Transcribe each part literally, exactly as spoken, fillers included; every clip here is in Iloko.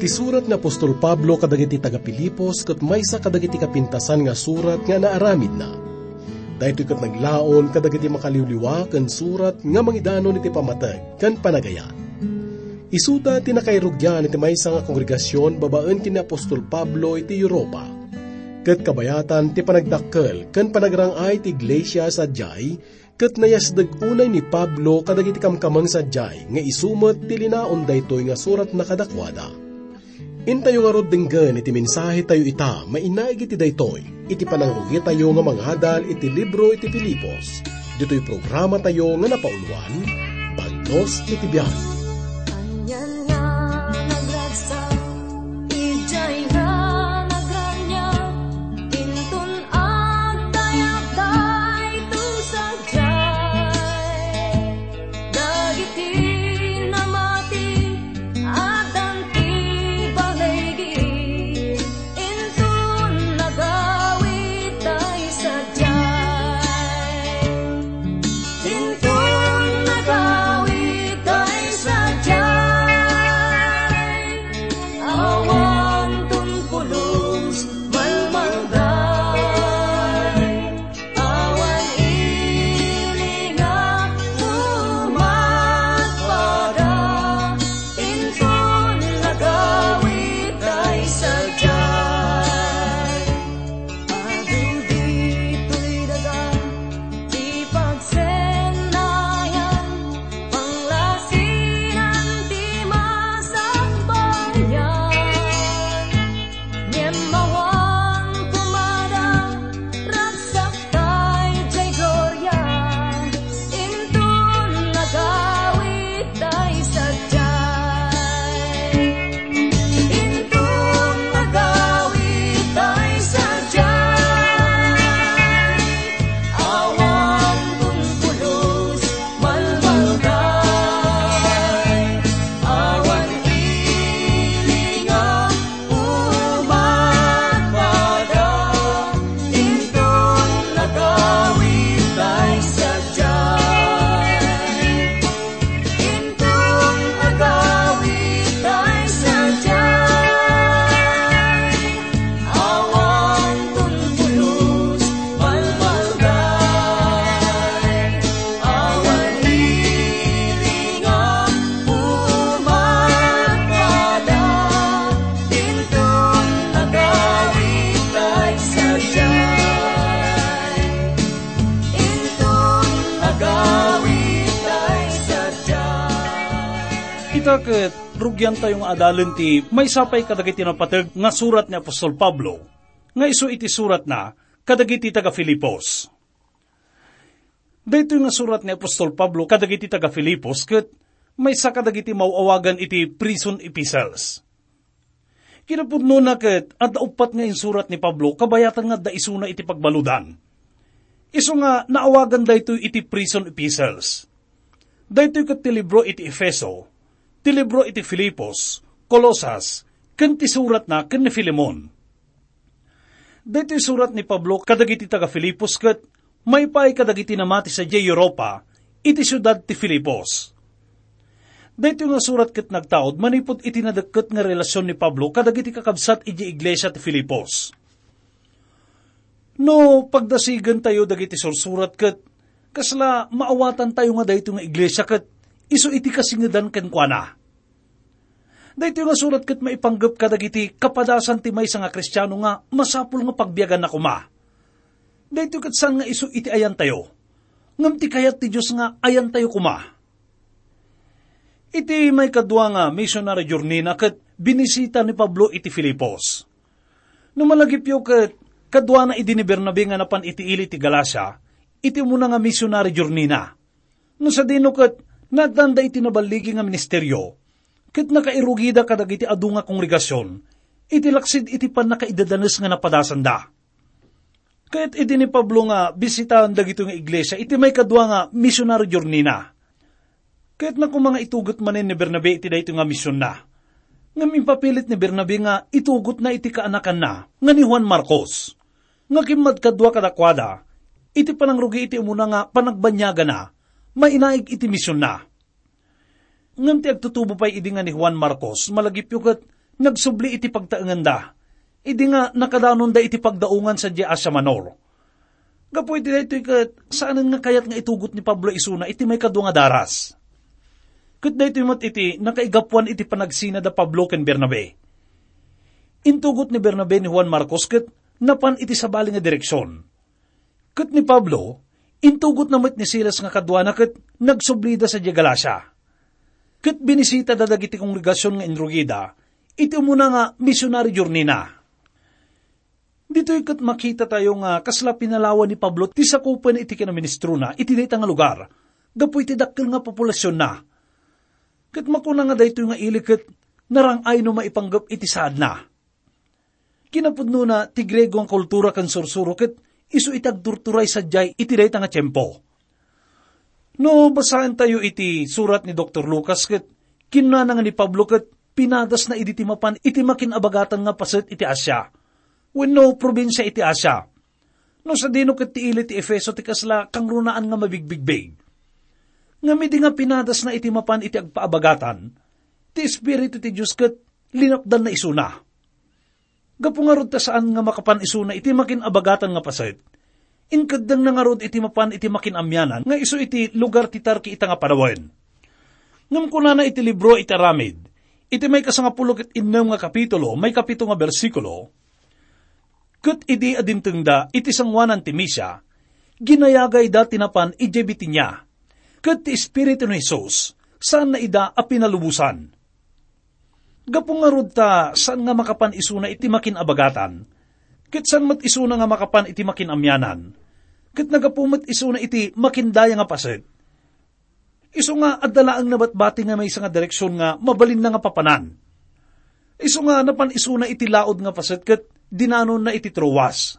Ti surat ni apostol Pablo kadagiti taga-Filipos ket maysa kadagiti kapintasan nga surat nga naaramidna. Daytoy ket naglaon kadagiti makaliwliwa ken surat nga mangidanon iti pammateg ken panagayat. Isuta ti nakairugian iti maysa nga kongregasion babaen ken ni apostol Pablo iti Europa. Ket kabayatan ti panagdakkel ken panagrang-ay ti iglesia sadiay, ket nayasdeg unay ni Pablo kadagiti kamkameng sadiay nga isu met ti linaon daytoy nga suratna kadakuada. Intayo ngarud denggen iti mensahetayo ita mainaig iti daytoy, iti panangrugitayo nga mangadal iti libro iti Filipos, ditoy programatayo nga napauluan, Bagnos iti Biag. Anian nga nagragsak, idiay nga nagraniag, inton agdayag daytoy sadiay. Dagiti namati, addan ti baligi, inton nagawid tay sadiay. Inton nagawid tay sadiay, awan ton pulos malmalday. Awan ili nga umatpada, inton nagawid tay sadiay. Adu ditoy daga ti pagsennayan, panglasinan ti masakbayan. Ngem awan koma da ragsak tay jay gloria, inton nagawid tay sadiay. Inton nagawid tay sadiay, awan ton pulos malmalday, awan ili nga umatpada, inton nagawid tay sadiay. Inton nagawid tay sadiay, awan ton pulos malmalday, awan ili nga umatpada, inton nagawid tay sadiay. Inton nagawid tay sadiay. Ita ket, rugiantayo nga adalen ti maysa pay kadagiti napateg nga surat ni apostol Pablo, nga isu iti suratna kadagiti taga-Filipos. Daytoy nga surat ni apostol Pablo kadagiti taga-Filipos ket maysa kadagiti maaw-awagan iti prison epistles. Kinapudnona ket adda uppat nga insurat ni Pablo kabayatan nga adda isuna iti pagbaludan. Isu nga naawagan daytoy iti prison epistles. Daytoy ket ti libro iti Efeso, ti libro iti Filipos, Colosas, ken ti suratna ken ni Filemon. Daytoy surat ni Pablo kadagiti taga-Filipos ket maipaay kadagiti namati sadiay Europa iti siudad ti Filipos. Daytoy nga surat ket nagtaud manipud iti nadekket nga relasion ni Pablo kadagiti kakabsat idiay iglesia ti Filipos. No pagdasigentayo dagiti sursurat ket kasla maawatantayo nga daytoy nga iglesia ket isu iti kasingedan kenkuana. Daytoy nga surat ket maipanggep kadagiti kapadasan ti maysa nga Kristiano nga masapul nga pagbiaganna koma. Daytoy ket saan nga isu iti ayantayo, ngem ti kayat ti Dios nga ayantayo koma. Iti maikadua nga missionary journey-na ket binisita ni Pablo iti Filipos. No malagipyo ket kaduana idi ni Bernabe nga napan iti ili ti Galacia, iti umuna nga missionary journey-na. No sadino ket naaddaanda iti naballigi nga ministerio, ket nakairugida kadagiti adu nga kongregasion iti laksid iti pannakaidadanes nga napadasanda. Ket idi ni Pablo nga bisitaen dagitoy nga iglesia iti maikadua nga missionary journey-na, kayatna koma nga itugot manen ni Bernabe iti daytoy nga misionna. Ngem impapilit ni Bernabe nga itugotna iti kaanakanna nga ni Juan Marcos, nga kimmadkadua kadakuada iti panangrugi iti umuna nga panagbanniagana mainaig iti misionna. Ngem ti agtutubo pay idi nga ni Juan Marcos, malagipyo ket nagsubli iti pagtaenganda, idi nga nakadanonda iti pagdaungan sadiay Asia Minor. Gapu iti daytoy ket, saanen nga kayat nga itugot ni Pablo isuna iti maikadua nga daras. Ket daytoy met iti nakaigapuan iti panagsina da Pablo ken Bernabe. Intugot ni Bernabe ni Juan Marcos ket napan iti sabali nga direksion. Ket ni Pablo, intugotna met ni Silas nga kaduana ket nagsublida sadiay Galacia. Ket binisitada dagiti kongregasion nga inrugida iti umuna nga misionary journey-na. Ditoy ket makitatayo nga kasla pinalawan ni Pablo ti sakupen iti kinaministrona iti dayta nga lugar gapu iti dakkel nga populasionna. Ket makuna nga daytoy nga ili ket narang-ay no maipanggep iti saadna. Kinapudnona, ti Griego nga kultura ken sursuro ket isu iti agturturay sadiay iti dayta nga tiempo. No basaentayo iti surat ni Doktor Lucas ket kinunana nga ni Pablo ket pinadasna idi ti mapan iti makin-abagatan nga paset iti Asia, wenno probinsia iti Asia. No sadino ket ti ili ti Efeso ti kasla kangrunaan nga mabigbigbig. Ngem idi nga pinadasna iti mapan iti agpaabagatan, ti Espiritu ti Dios ket linapdanna isuna. Gapu ngarud ta saan nga makapan isuna iti makin-abagatan nga paset, inkeddengna ngarud iti mapan iti makin-amianan nga isu iti lugar ti Turkey ita nga panawen. Ngem kunana iti libro iti Aramid, iti maikasangapulo ket innem nga kapitulo, maikapito nga bersikulo, "Ket idi adintengda iti sangoanan ti Misia, ginayagayda ti napan idiay Bitinia, ket ti Espiritu ni Jesus saanna ida a pinalubosan." Gapu ngarud ta saan nga makapan isuna iti makin-abagatan, ket saan met isuna nga makapan iti makin-amianan, ket naggapu met isuna iti makindaya nga paset. Isu nga adda laeng nabatbati nga maysa nga direksion nga mabalinna nga papanan. Isu nga napan isuna iti laud nga paset ket dinanonna iti Troas.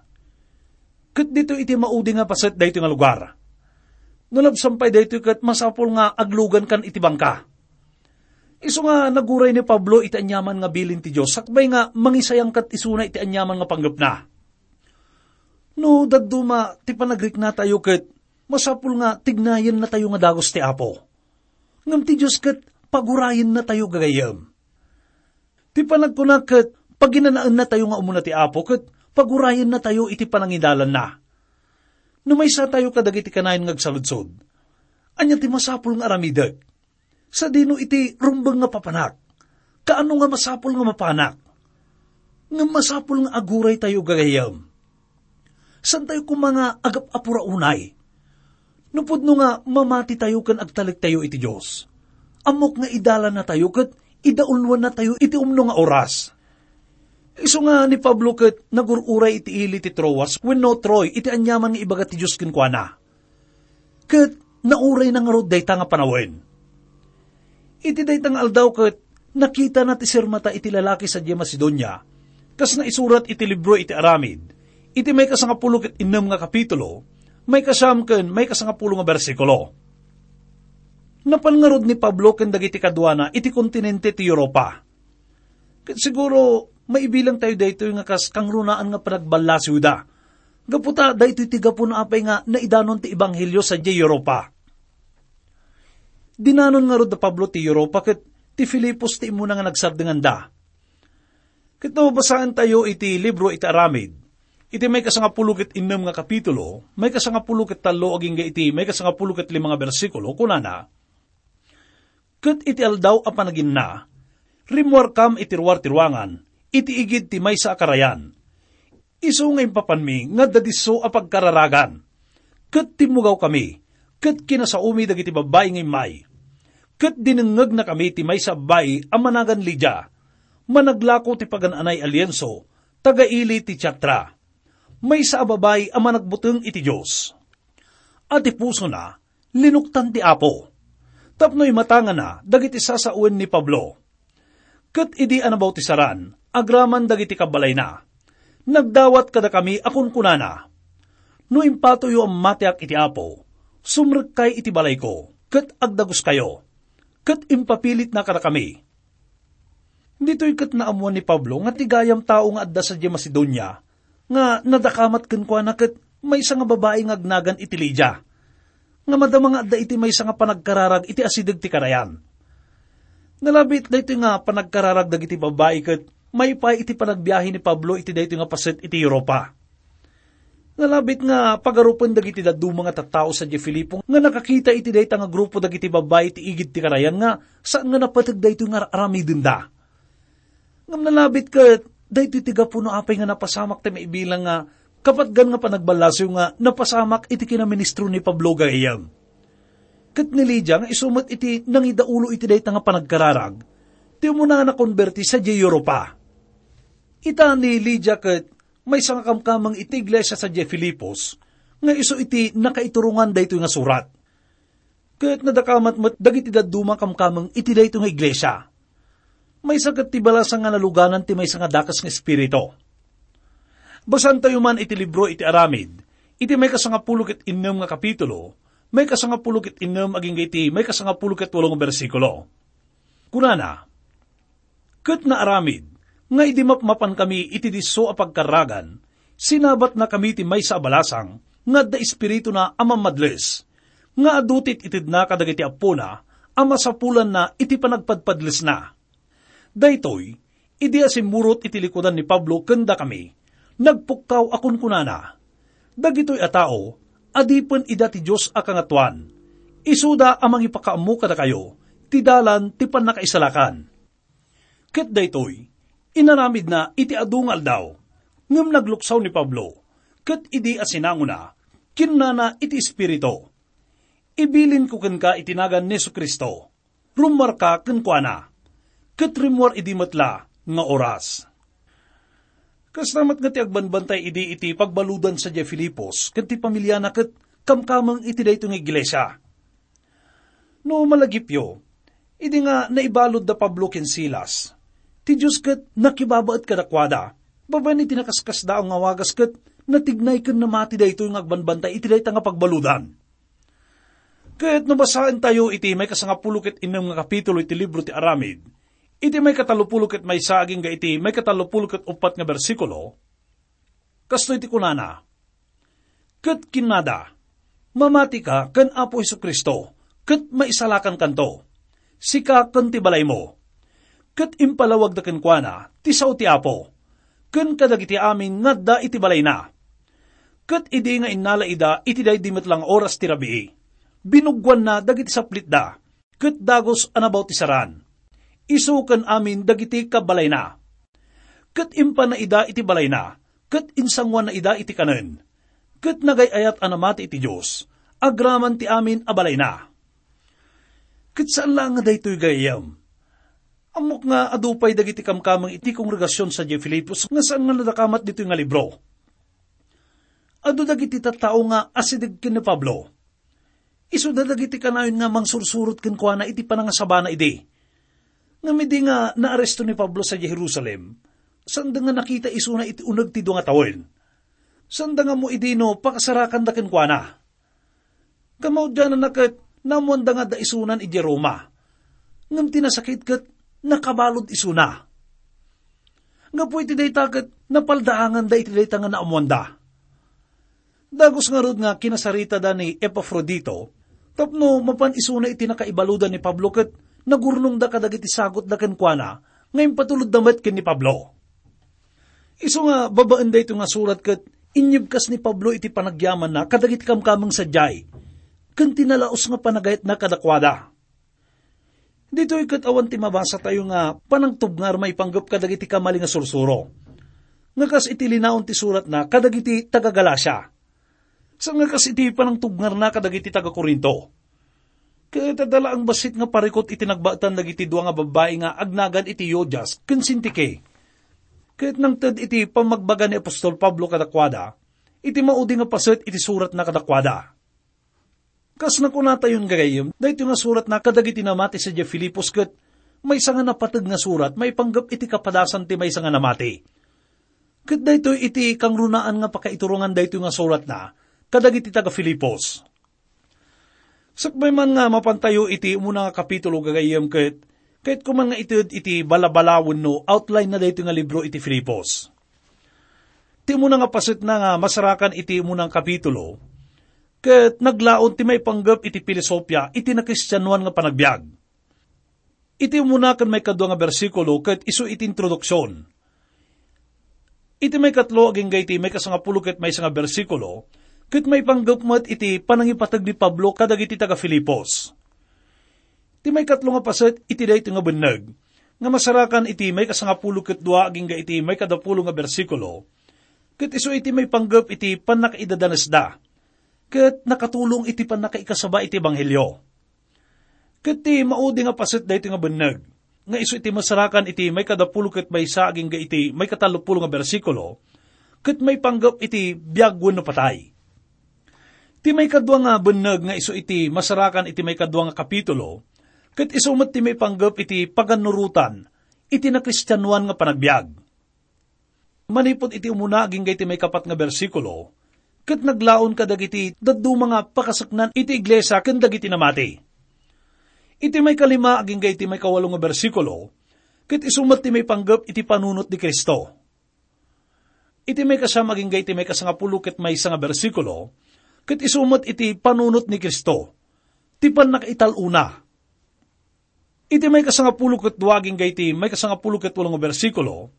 Ket ditoy iti maudi nga paset daytoy nga lugar. No labsan pay daytoy ket masapul nga aglugankan iti bangka. Isu nga naguray ni Pablo iti aniaman nga bilin ti Dios, sakbay nga mangisayangkat isuna iti aniaman nga panggepna. No dadduma ti panagriknatayo ket masapul nga tignayennatayo nga dagus ti Apo. Ngem ti Dios ket pagurayennatayo gagayyem. Ti panagkuna ket paginanaennatayo nga umuna ti Apo ket pagurayennatayo iti panangidalanna. No maysatayo kadagiti kanayon nga agsaludsod, ania ti masapul nga aramidek? Sadino iti rumbeng nga papanak? Kaano nga masapul nga mapanak? Ngem masapul nga aguraytayo gagayyem. Saantayo koma nga agap-apura unay. No pudno nga mamatitayo ken agtalektayo iti Dios, ammok nga idalannatayo ket idaulwannatayo iti umno nga oras. Isu nga ni Pablo ket nagur-uray iti ili ti Troas wenno Troy iti aniaman nga ibaga ti Dios kenkuana. Ket naurayna ngarud dayta nga panawen. Iti dayta nga aldaw ket nakitana ti sirmata iti lalaki sadiay Macedonia, kas naisurat iti libro iti Aramid, iti maikasangapulo ket innem nga kapitulo, maikasiam ken maikasangapulo nga bersikulo. Napan ngarud ni Pablo ken dagiti kaduana iti kontinente ti Europa. Ket siguro, maibilang tayo daytoy nga kas kangrunaan nga panagballasiwda. Gapu ta, daytoy ti gapu no apay nga naidanon ti ebanghelio sadiay Europa. Dinanon ngarud da Pablo ti Europa ket ti Filipos ti immuna nga nagsardenganda. Ket no basaentayo iti libro iti Aramid, iti maikasangapulo ket innem nga kapitulo, maikasangapulo ket tallo agingga iti maikasangapulo ket lima nga bersikulo, kunana, "Ket iti aldaw a panaginna, rimmuarkam iti ruar ti ruangan, iti igid ti maysa a karayan. Isu nga impapanmi nga adda disso a pagkararagan. Ket timmugawkami, ket kinasaomi dagiti babbai nga immay. Ket dinengngegnakami ti maysa a babbai a managan Lidia, managlako ti pagan-anay a lienso, taga-ili ti Tiatira. Maysa a babbai a managbuteng iti Dios. A ti pusona, linuktan ti Apo, tapno imatangana dagiti sasawen ni Pablo. Ket idi a nabautisaran, agraman dagiti kabbalayna, nagdawat kadakami a kunkunana, 'No impatoyo a matiak iti Apo, sumrekkay iti balayko, ket agdaguskayo.' Ket impapilitna kadakami." Ditoy ket naammuan ni Pablo nga ti gayam tao nga adda sadiay Macedonia nga nadakamat kenkuana ket maysa nga babai nga agnagan iti Lidia, nga madama nga adda iti maysa nga panagkararag iti asideg ti karayan. Nalabit daytoy nga panagkararag dagiti babbai ket maipaay iti panagbiahe ni Pablo iti daytoy nga paset iti Europa. Nalabit nga pagarupen dagiti dadduma nga tattao sadiay Filipo nga nakakita iti dayta nga grupo dagiti babbai iti igid ti karayan nga saan nga napateg daytoy nga ar-aramidenda. Ngem nalabit ket daytoy ti gapu no apay nga napasamak ti maibilang nga kapatgan nga panagballasiw nga napasamak iti kinaministro ni Pablo gayam. Ket ni Lydia nga isu met iti nangidaulo iti dayta nga panagkararag, ti umuna nga nakonberti sadiay Europa. Ita ni Lydia ket maysa nga kamkameng iti iglesia sadiay Filipos nga isu iti nakaiturongan daytoy nga surat. Ket nadakamat met dagiti dadduma kamkameng iti daytoy nga iglesia. Maysa ket ti balasang nga naluganan ti maysa nga dakes nga espiritu. Basaentayo man iti libro iti Aramid, iti maikasangapulo ket innem nga kapitulo, maikasangapulo ket innem agingga iti maikasangapulo ket walo nga bersikulo. Kunana, "Ket naaramid nga idi mapmapankami iti disso a pagkarragan, sinabatnakami ti maysa a balasang nga adda espirituna a mammadles, nga adu ti it-itedna kadagiti appona a masapulanna iti panagpadpadlesna." Daytoy, idi asimmurot iti likudan ni Pablo ken dakami, nagpukkaw a kunkunana, "Dagitoy a tao, adipen ida ti Dios a Kangatoan. Isuda a mangipakaammo kadakayo ti dalan ti pannakaisalakan." Ket daytoy, inaramidna iti adu nga aldaw. Ngem nagluksaw ni Pablo, ket idi asinangona, kinnana iti espiritu, "Ibilinko kenka iti nagan ni Jesu-Cristo, rummuarka kenkuana." Ket rimmuar idi met la nga oras. Kasta met nga ti agbanbantay idi iti pagbaludan sadiay Filipos ken ti pamiliana ket kamkameng iti daytoy nga iglesia. No malagipyo, idi nga naibalud da Pablo ken Silas, ti Dios ket nakibabaet kadakuada, babaen iti nakaskasdaaw nga wagas ket natignay ken namati daytoy nga agbanbantay iti dayta nga pagbaludan. Ket no basaentayo iti maikasangapulo ket innem nga kapitulo iti libro ti Aramid, iti maikatallopulo ket maysa agingga iti maikatallopulo ket uppat nga bersikulo, kastoy ti kunana, Ket kinnada, "Mamatika ken Apo Jesu-Cristo, ket maisalakankanto, sika ken ti balaymo." Ket impalawagda kenkuana ti sao ti Apo, ken kadagiti amin nga adda iti balayna. Ket idi nga innala ida iti daydi met la nga oras ti rabii, binuggoanna dagiti saplitda, ket dagus a nabautisaran, isu ken amin dagiti kabbalayna. Ket impanna ida iti balayna, ket insanguanna ida iti kanen, ket nagay-ayat a namati iti Dios, agraman ti amin a balayna. Ket saan laeng nga daytoy gayyem. Ammok nga adu pay dagiti kamkameng iti kongregasion sadiay Filipos nga saan nga nadakamat ditoy nga libro. Adu dagiti tattao nga asideg ken ni Pablo. Isuda dagiti kanayon nga mangsursurot kenkuana iti panangasabana idi. Ngem idi nga naaresto ni Pablo sadiay Jerusalem, saanda nga nakita isuna iti uneg ti dua nga tawen. Saanda nga ammo idi no pakasarakanda kenkuana. Kamaudiananna ket naammoanda nga adda isunan idiay Roma. Ngem ti nasakit ket nakabalud isuna. Gapu iti dayta ket napaldaanganda iti dayta nga naammoanda. Dagus ngarud nga kinasaritada ni Epafrodito tapno mapan isuna iti nakaibaludan ni Pablo ket nagurnongda kadagiti sagutda kenkuana nga impatulodda met ken ni Pablo. Isu nga babaen daytoy nga surat ket inyebkas ni Pablo iti panagyamanna kadagiti kamkameng sadiay ken ti nalaus nga panagayatna kadakuada. Ditoy ket awan ti mabasatayo nga panangtubngar maipanggep kadagiti kamali nga sursuro. Nga kas iti linaon ti suratna kadagiti taga-Galacia. Saan nga kas iti panangtubngarna kadagiti taga-Corinto. Ket adda laeng bassit nga parikut iti nagbaetan dagiti dua nga babbai nga agnagan iti Euodias ken Sintike. Ket nangted iti pammagbaga ni apostol Pablo kadakuada, iti maudi nga paset iti suratna kadakuada. Kas nakunatayon gagayyem, daytoy nga suratna kadagiti namati sadiay Filipos ket maysa nga napateg nga surat maipanggep iti kapadasan ti maysa nga namati. Ket daytoy iti kangrunaan nga pakaiturongan daytoy nga suratna kadagiti taga-Filipos. Sakbay man nga mapantayo iti umuna nga kapitulo gagayyem ket, kayatko man nga ited iti balabalawen no outline na daytoy nga libro iti Filipos. Ti umuna nga pasetna nga masarakan iti umuna nga kapitulo, ket naglaon ti maipanggep iti filosofia iti nakristianoan nga panagbiag. Iti umuna ken maikadua nga bersikulo ket isu iti introduksion. Iti maikatlo agingga iti maikasangapulo ket maysa nga bersikulo, ket maipanggep met iti panangipateg ni Pablo kadagiti taga-Filipos. Ti maikatlo nga paset iti daytoy nga benneg, nga masarakan iti maikasangapulo ket dua agingga iti maikadapulo nga bersikulo, ket isu iti maipanggep iti pannakaidadanesda, ket nakatulong iti pannakaikasaba iti ebanghelio. Ket ti maudi nga paset daytoy nga benneg, nga isu iti masarakan iti maikadapulo ket maysa agingga iti maikatallopulo nga bersikulo, ket maipanggep iti biag wenno patay. Ti maikadua nga benneg nga isu iti masarakan iti maikadua nga kapitulo, ket isu met ti maipanggep iti pagannurotan iti nakristianoan nga panagbiag. Manipud iti umuna agingga iti maikapat nga bersikulo, ket naglaon kadagiti dadduma nga pakaseknan iti iglesia ken dagiti namati. Iti maikalima agingga iti maikawalo nga bersikulo, ket isu met ti maipanggep iti panunot ni Cristo. Iti maikasiam agingga iti maikasangapulo ket maysa nga bersikulo, ket isu met iti panunot ni Cristo, ti pannakaital-ona. Iti maikasangapulo ket dua agingga iti maikasangapulo ket walo nga bersikulo,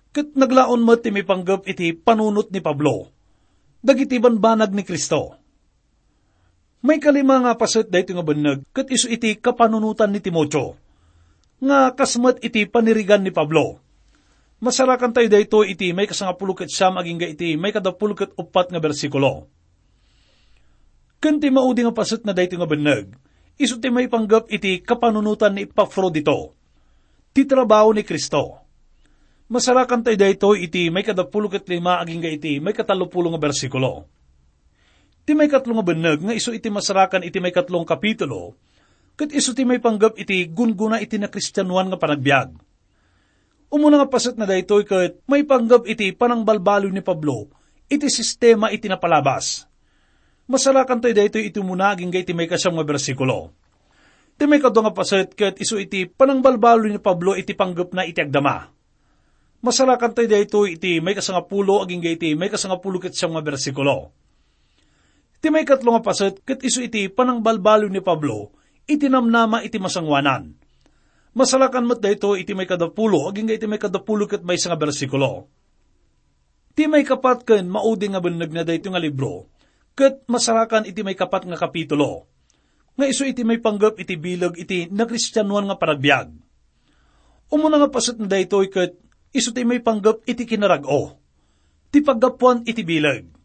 ket naglaon met ti maipanggep iti panunot ni Pablo dagiti banbanag ni Cristo. Maikalima nga paset daytoy nga benneg ket isu iti kapanunotan ni Timoteo, nga kas met iti panirigan ni Pablo. Masarakantayo daytoy iti maikasangapulo ket siam agingga iti maikadapulo ket uppat nga bersikulo. Ken ti maudi nga paset na daytoy nga benneg, isu ti maipanggep iti kapanunotan ni Epafrodito, ti trabaho ni Cristo. Masarakantayo daytoy iti maikadapulo ket lima agingga iti maikatallopulo nga bersikulo. Ti maikatlo nga benneg nga isu iti masarakan iti maikatlo nga kapitulo, ket isu ti maipanggep iti gunggona iti nakristianoan nga panagbiag. Umuna nga paset na daytoy ket maipanggep iti panangbalbaliw ni Pablo iti sistema iti napalabas. Masarakantayo daytoy iti umuna agingga iti maikasiam nga bersikulo. Ti maikadua nga paset ket isu iti panangbalbaliw ni Pablo iti panggepna iti agdama. Masarakantayo daytoy iti maikasangapulo agingga iti maikasangapulo ket siam nga bersikulo. Ti maikatlo nga paset ket isu iti panangbalbaliw ni Pablo iti namnama iti masangoanan. Masarakan met daytoy iti maikadapulo agingga iti maikadapulo ket maysa nga bersikulo. Ti maikapat ken maudi nga benneg na daytoy nga libro ket masarakan iti maikapat nga kapitulo, nga isu iti maipanggep iti bileg iti nakristianoan nga panagbiag. Umuna nga paset na daytoy ket isu ti maipanggep iti kinarag-o, ti paggapuan iti bileg.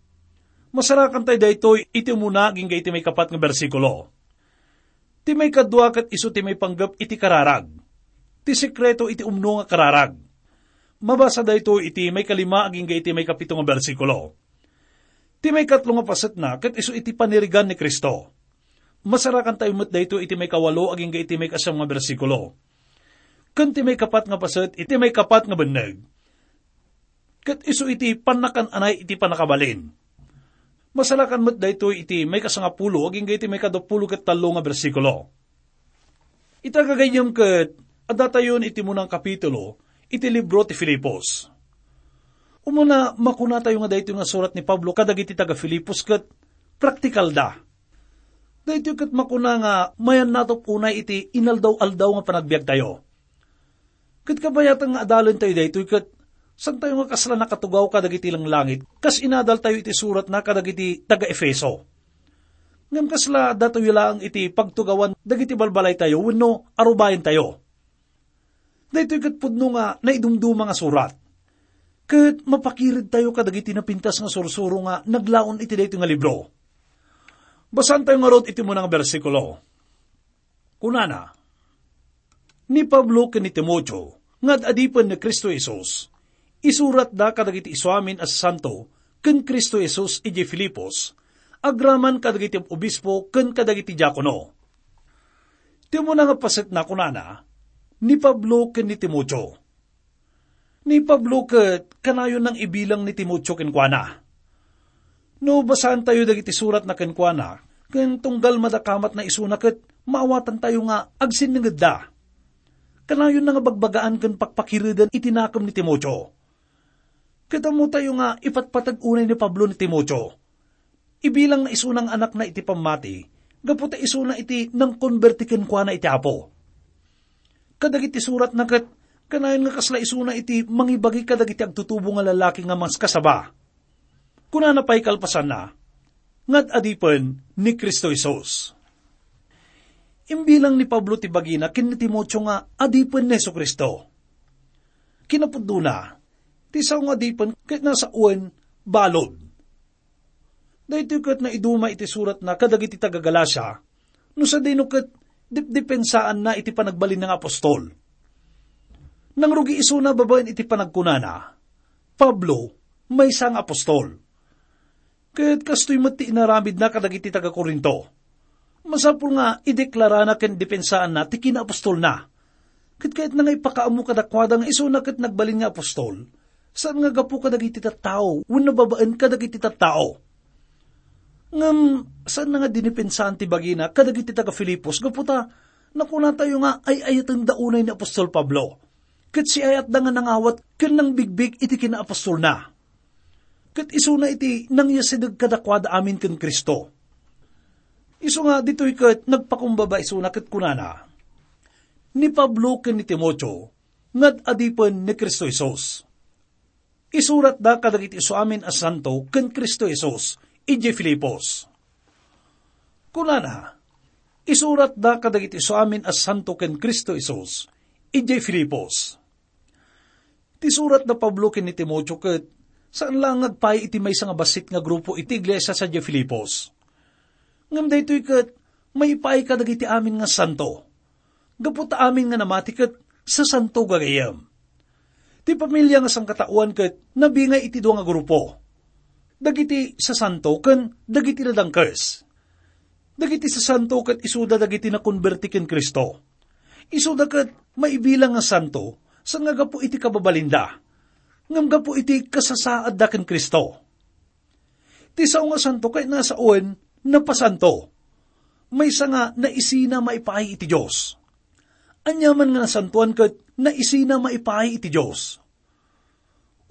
Masarakantayo daytoy iti umuna agingga iti maikapat nga bersikulo. Ti maikadua ket isu ti maipanggep iti kararag, ti sekreto iti umno nga kararag. Mabasa daytoy iti maikalima agingga iti maikapito nga bersikulo. Ti maikatlo nga pasetna ket isu iti panirigan ni Cristo. Masarakantayo met daytoy iti maikawalo agingga iti maikasiam nga bersikulo. Ken ti maikapat nga paset iti maikapat nga benneg, ket isu iti pannakan-anay iti pannakabalin. Masarakan met daytoy iti maikasangapulo agingga iti maikadapulo ket tallo nga bersikulo. Ita gagayyem ket addatayon iti munang kapitulo iti libro ti Filipos. Umuna, makunatayo nga daytoy nga surat ni Pablo kadagiti taga-Filipos ket praktikalda. Daytoy ket makuna nga mayannatop unay iti inaldaw-aldaw nga panagbiagtayo. Ket kabayatan nga adalentayo daytoy ket saantayo nga kasla nakatugaw kadagiti langlangit, kas inadaltayo iti suratna kadagiti taga-Efeso. Ngem kasla addatayo laeng iti pagtugawan dagiti balbalaytayo wenno arubayentayo. Daytoy ket pudno nga naidumduma nga surat. Ket mapakiridtayo kadagiti napintas nga sursuro nga naglaon iti daytoy nga libro. Basaantayo ngarud iti muna nga bersikulo. Kunana, "Ni Pablo ken ni Timoteo nga ad-adipen ni Cristo Jesus, isuratda kadagiti isuamin a santo ken Cristo Jesus idiay Filipos, agraman kadagiti obispo ken kadagiti diakono." Ti umuna nga pasetna, kunana, "Ni Pablo ken ni Timoteo." Ni Pablo ket kanayon nang ibilang ni Timoteo kenkuana. No basaantayo dagiti suratna kenkuana, ken tunggal madakamatna isuna ket maawatantayo nga agsinningedda. Kanayonna nga bagbagaan ken pakpakireden iti nakem ni Timoteo. Ket ammotayo nga ipatpateg unay ni Pablo ni Timoteo. Ibilangna isuna nga anakna iti pammati, gapu ta isuna iti nangkonberti kenkuana iti Apo. kadagiti suratna ket kanayon nga kasla isuna iti mangibagi kadagiti agtutubo nga lalaki nga maskasaba. Kunana pay kalpasanna, nga ad-adipen ni Cristo Jesus. Imbilang ni Pablo ti bagina ken ni Timoteo nga adipen ni Jesu-Cristo. Kinapudnona, ti sao nga adipen ket nasaoen balud. Daytoy ket naiduma iti suratna kadagiti taga-Galacia, no sadino ket dipdepensaanna iti panagbalinna nga apostol. Nangrugi isuna babaen iti panagkunana, "Pablo, maysa nga apostol." Ket kastoy met ti inaramidna kadagiti taga-Corinto. Masapul nga ideklarana ken depensaanna ti kinaapostolna. Ket kayatna nga ipakaammo kadakuada nga isuna ket nagbalin nga apostol, saan nga gapu kadagiti tattao wenno babaen kadagiti tattao. Ngem saanna nga dinepensaan ti bagina kadagiti taga-Filipos gapu ta nakunatayo nga ay-ayatenda unay ni apostol Pablo, ket siayatda nga nangawat ken nangbigbig iti kinaapostolna. Ket isuna iti nangyasideg kadakuada amin ken Cristo. Isu nga ditoy ket nagpakumbaba isuna ket kunana, "Ni Pablo ken ni Timoteo, nga ad-adipen ni Cristo Jesus." Isuratda kadagiti isu amin a santo ken Cristo Jesus idiay Filipos. Kunana, isuratda kadagiti isu amin a santo ken Cristo Jesus idiay Filipos. Ti surat da Pablo ken ni Timoteo ket saan la nga agpaay iti maysa nga bassit nga grupo iti iglesia sadiay Filipos. Ngem daytoy ket maipaay kadagiti amin nga santo. Gapu ta amin nga namati ket sasanto gagayyem. Ti pamilia nga sangkataoan ket nabingay iti dua nga grupo. Dagiti sasanto ken dagiti nadangkes. Dagiti sasanto ket isuda dagiti nakonberti ken Cristo. Isuda ket maibilang nga santo, saan nga gapu iti kababalinda, ngem gapu iti kasasaadda ken Cristo. Ti sao nga santo ket nasaoen napasanto. Maysa nga naisina maipaay iti Dios. Aniaman nga nasantoan ket naisina maipaay iti Dios.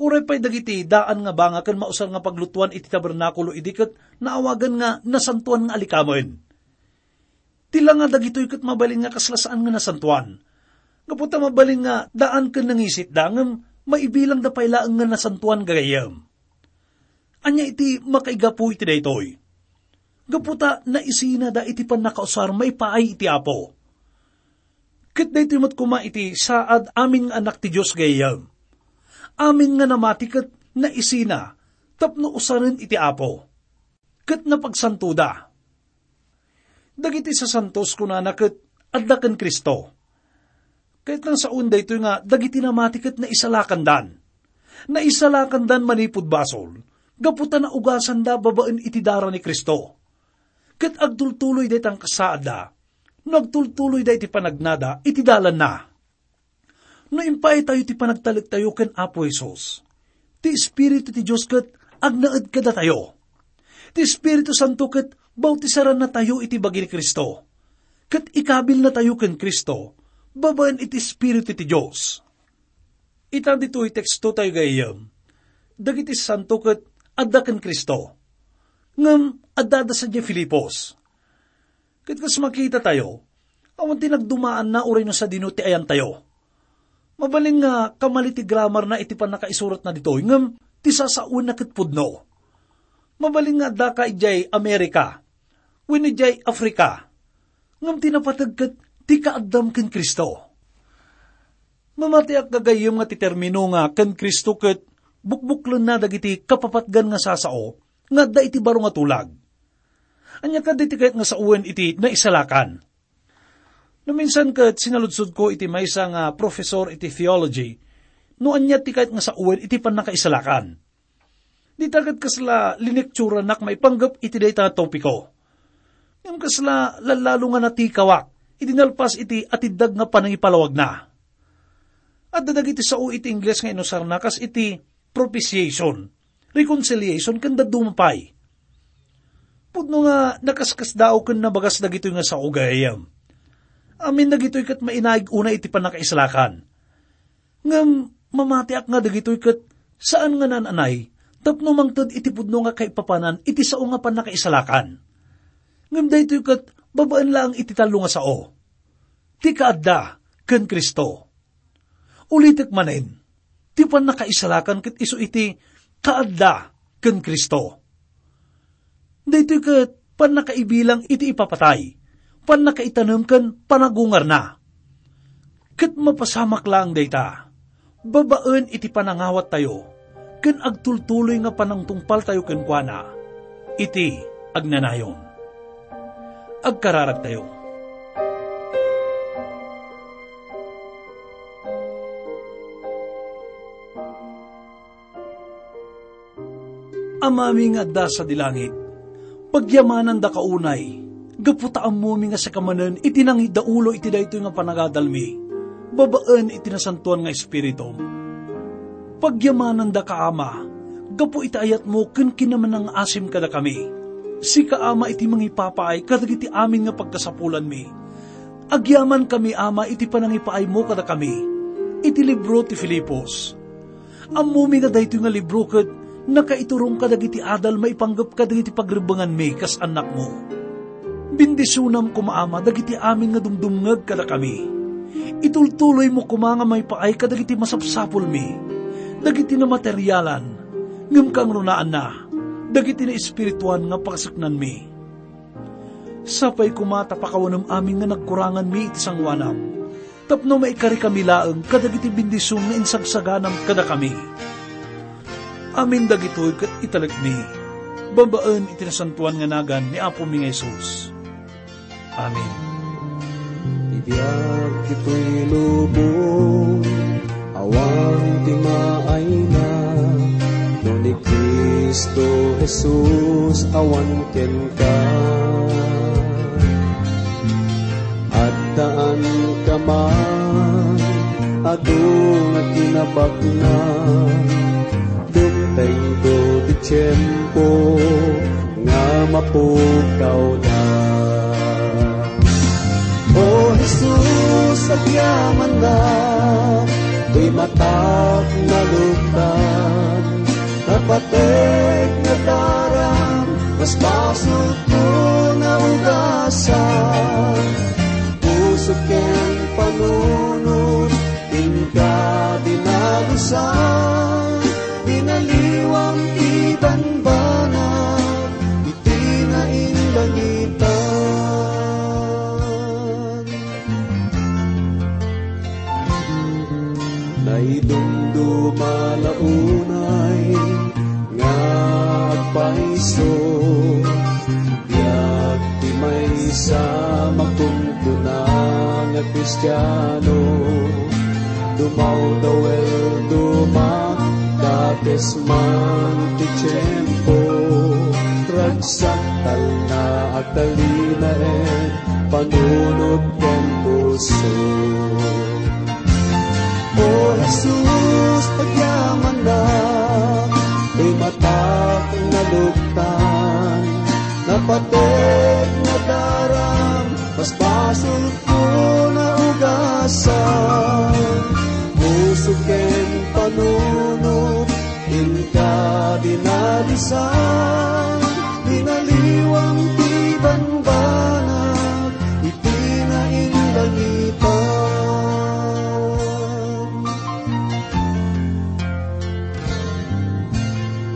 Uray pay dagiti daan nga banga ken mausar nga paglutuan iti tabernakulo idi ket naawagan nga nasantoan nga alikamen. Ti langa dagitoy ket mabalin nga kasla saan nga nasantoan. Gapu ta mabalin nga daan ken nangisitda ngem maibilangda pay laeng nga nasantoan gagayyem. Ania iti makaigapu iti daytoy? Gapu ta naisinada iti pannakausar maipaay iti Apo. Ket daytoy met koma iti saad amin nga anak ti Dios gagayyem. Amin nga namati ket naisina tapno usaren iti Apo. Ket napagsantoda. Dagiti sasantos kunana ket adda ken Cristo. Ket nasaon daytoy nga dagiti namati ket naisalakandan. Naisalakandan manipud basol, gapu ta naugasanda babaen iti dara ni Cristo. Ket agtultuloy dayta nga kasaadda, no agtultuloyda iti panagnada iti dalanna. No impaaytayo ti panagtalektayo ken Apo Jesus, ti Espiritu ti Dios ket agnaed kadatayo. Ti Espiritu Santo ket bautisarannatayo iti bagi ni Cristo, ket ikabilnatayo ken Cristo babaen iti Espiritu ti Dios. Ita ditoy teksto tayo gayyem, dagiti santo ket adda ken Cristo. Ngem addada sadiay Filipos. Ket kas makita tayo, awan ti nagdumaanna uray no sadino ti ayantayo. Mabalin nga kamali ti gramarna iti pannakaisuratna ditoy, ngem ti sasawenna ket pudno. Mabalin nga addaka idiay Amerika, wenno idiay Africa, ngem ti napateg ket ti kaaddam ken Cristo. Mamatiak gagayyem nga ti termino nga ken Cristo ket bukbuklenna dagiti kapapatgan nga sasao nga adda iti baro nga tulag. Ania kadi ti kayat nga sawen iti naisalakan? No minsan ket sinaludsodko iti maysa nga professor iti theology, no ania ti kayat nga sawen iti pannakaisalakan. Dita ket kasla linektiuranak maipanggep iti dayta nga topiko. Ngem kasla lallalo nga natikawak iti nalpas iti atiddag nga panangipalawagna. Adda dagiti sao iti Ingles nga inusarna kas iti propitiation, reconciliation, ken dadduma pay. Pudno nga nakaskasdaaw ken nabagas dagitoy nga sao gayam. Amin dagitoy ket mainaig unay iti pannakaisalakan. Ngem mamatiak nga dagitoy ket saan nga naan-anay tapno mangted iti pudno nga kaipapanan iti sao nga pannakaisalakan. Ngem daytoy ket babaen laeng iti tallo nga sao. Ti kaadda, ken Cristo. Ulitek manen, ti pannakaisalakan ket isu iti kaadda ken Cristo. Daytoy ket pannakaibilang iti ipapatay, pannakaitanem ken panagungarna. Ket mapasamak laeng dayta, babaen iti panangawattayo, ken agtultuloy nga panangtungpaltayo kenkuana iti agnanayon. Agkararagtayo. Amami nga adda sadi langit, pagyamanandaka unay, gapu ta ammomi nga sika manen iti nangiddaulo iti daytoy nga panagadalmi, babaen iti Nasantoan nga Espiritum. Pagyamanandaka, Ama, gapu iti ayatmo ken kinamnangaasim kadakami. Sika, Ama, iti mangipapaay kadagiti amin nga pagkasapulanmi. Agyamankami, Ama, iti panangipaaymo kadakami iti libro ti Filipos. Ammomi nga daytoy nga libro ket nakaiturong kadagiti adal maipanggep kadagiti pagrebbenganmi kas annakmo. Bendisionam koma, Ama, dagiti amin nga dumdumngeg kadakami. Itultuloymo koma nga maipaay kadagiti masapsapulmi, dagiti namaterialan, ngem kangrunaanna, dagiti naespirituan nga pakasaknanmi. Sapay koma ta pakawanem amin nga nagkuranganmi iti sangoanam, tapno maikarikami laeng kadagiti bendision nga insagsaganam kadakami. Amin dagitoy ket italekmi babaen iti nasantoan nga nagan ni Apomi nga Jesus. Amen. Ti biag ditoy lubong, awan ti maayna, no ni Cristo Jesus awan kenka. Addaanka man, adu nga kinabaknang, dumtengto ti tiempo nga mapukawda. O Jesus, agyamanak, toy matak naluktan, napateg nga daram, mas basolko nga ugasan. Puso ken panunot, inka dinalusan, binaliwam ti banbanag iti nainlangitan. Naidumduma la unay nga agpayso, biag ti maysa makunkuna nga Kristiano. Dumawdaw el dumakdakes man ti tiempo, ragsak talna agtalinaen panunot ken puso. O Jesus, agyamanak, toy matak naluktan, napateg nga daram, mas basolko nga ugasan. Puso ken panunot, inka dinalusan, binaliwam ti banbanag iti nainlangitan.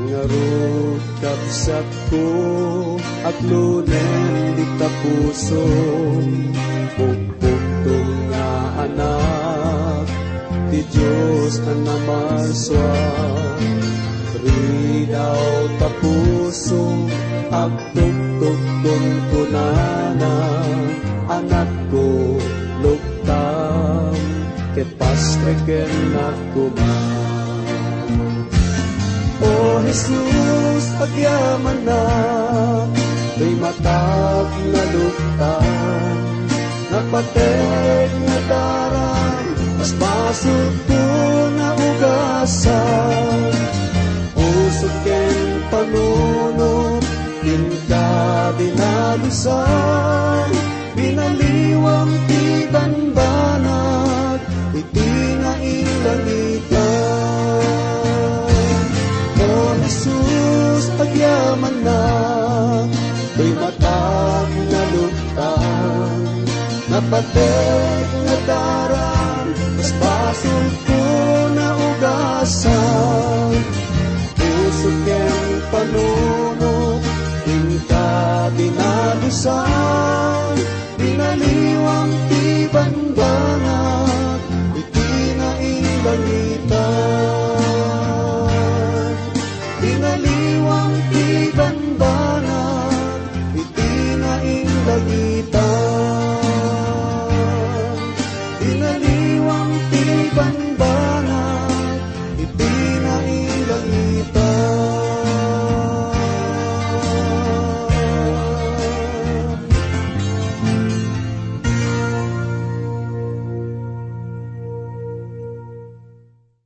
Ngarud, kabsatko, aglunen dita puso, pukpukto nga anak ti Dios a namarsua. Ridaw ta puso, agtuktok kunkunana, anakko, luktam, ket pastreken koma. O Jesus, agyamanak, toy matak naluktan, napateg nga daram, mas basolko nga ugasan. Puso ken panunot, inka dinalusan, binaliwam ti banbanag iti nainlangitan. O Jesus, agyamanak, toy matak naluktan, napateg nga daram, Sulko naugasan, puso ken panunot, inka dinalusan, binaliwang ti banda.